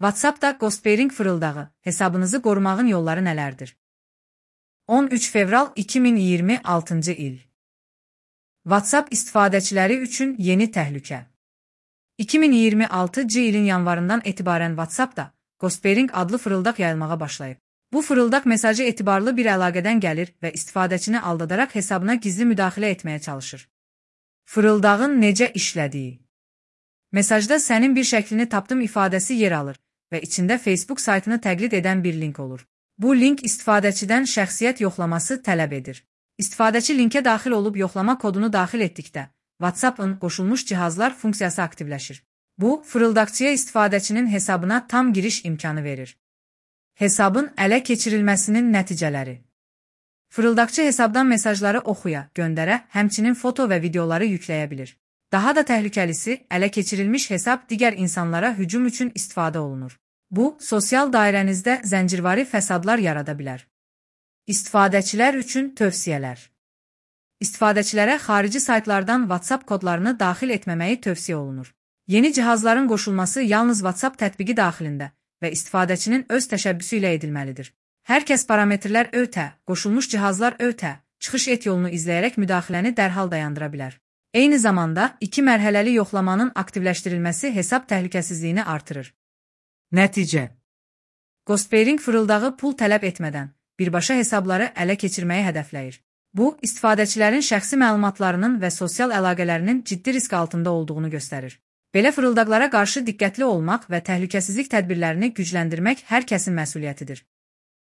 WhatsApp-da Ghostwriting fırıldağı, hesabınızı qorumağın yolları nələrdir? 13 fevral 2026-cı il. WhatsApp istifadəçiləri üçün yeni təhlükə. 2026-cı ilin yanvarından etibarən WhatsApp-da Ghostwriting adlı fırıldaq yayılmağa başlayıb. Bu fırıldaq mesajı etibarlı bir əlaqədən gəlir və istifadəçini aldadaraq hesabına gizli müdaxilə etməyə çalışır. Fırıldağın necə işlədiyi. Mesajda sənin bir şəklini tapdım ifadəsi yer alır və içində Facebook saytını təqlid edən bir link olur. Bu link istifadəçidən şəxsiyyət yoxlaması tələb edir. İstifadəçi linkə daxil olub yoxlama kodunu daxil etdikdə, WhatsApp-ın qoşulmuş cihazlar funksiyası aktivləşir. Bu, fırıldaqçıya istifadəçinin hesabına tam giriş imkanı verir. Hesabın ələ keçirilməsinin nəticələri. Fırıldaqçı hesabdan mesajları oxuya, göndərə, həmçinin foto və videoları yükləyə bilir. Daha da təhlükəlisi, ələ keçirilmiş hesab digər insanlara hücum üçün istifadə olunur. Bu, sosial dairənizdə zəncirvari fəsadlar yarada bilər. İstifadəçilər üçün tövsiyələr. İstifadəçilərə xarici saytlardan WhatsApp kodlarını daxil etməməyi tövsiyə olunur. Yeni cihazların qoşulması yalnız WhatsApp tətbiqi daxilində və istifadəçinin öz təşəbbüsü ilə edilməlidir. Hər kəs parametrlər ötə, qoşulmuş cihazlar ötə, çıxış et yolunu izləyərək müdaxiləni dərhal dayandıra bilər. Eyni zamanda, 2 mərhələli yoxlamanın aktivləşdirilməsi hesab təhlükəsizliyini artırır. Nəticə. Ghostwriting fırıldağı pul tələb etmədən birbaşa hesabları ələ keçirməyi hədəfləyir. Bu, istifadəçilərin şəxsi məlumatlarının və sosial əlaqələrinin ciddi risk altında olduğunu göstərir. Belə fırıldaqlara qarşı diqqətli olmaq və təhlükəsizlik tədbirlərini gücləndirmək hər kəsin məsuliyyətidir.